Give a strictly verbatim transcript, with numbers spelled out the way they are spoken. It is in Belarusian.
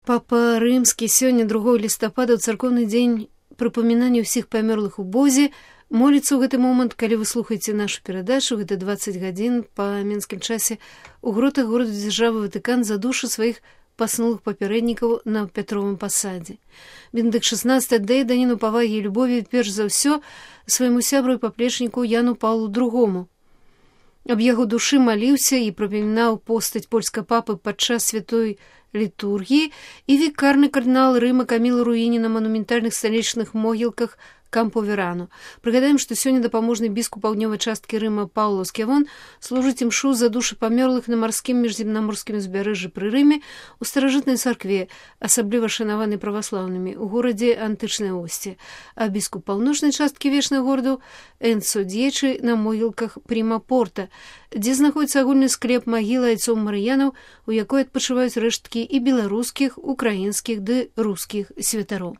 Папа Рымскі сёння другого лістапада ў царкоўны дзень прыпамінання ўсіх памёрлых у Бозе моліцца ў гэты момант, калі вы слухаеце нашу перадачу, гэта дваццаць гадзін па менскім часе, у гротах горада дзяржавы Ватыкан за душы сваіх паснулых папярэднікаў на Пятровым пасадзе. Бенедыкт шаснаццаты аддае даніну павагі і любові перш за ўсё свайму сябру і паплечніку Яну Паўлу другому. Аб яго душы маліўся і прапамінаў постаць польскага папы падчас святой літургіі і вікарны кардынал Рыма Каміл Руіні на манументальных сталічных могілках Кампо-Верано. Прыгадаем, што сёння дапаможны біскуп паўднёвай часткі Рыма Паўло Скявон служыць імшу за душы памёрлых на марскім міжземнаморскім узбярэжжы пры Рыме у старажытнай царкве, асабліва шанаванай праваслаўнымі, у горадзе антычнай Осці, а біскуп паўночнай часткі вечнага гораду Энцо Д'ечы на могілках Пріма-Порта, дзе знаходзіцца агульны склеп магілы айцоў марыянаў, у якой адпачываюць рэшткі і беларускіх, украінскіх ды рускіх святароў.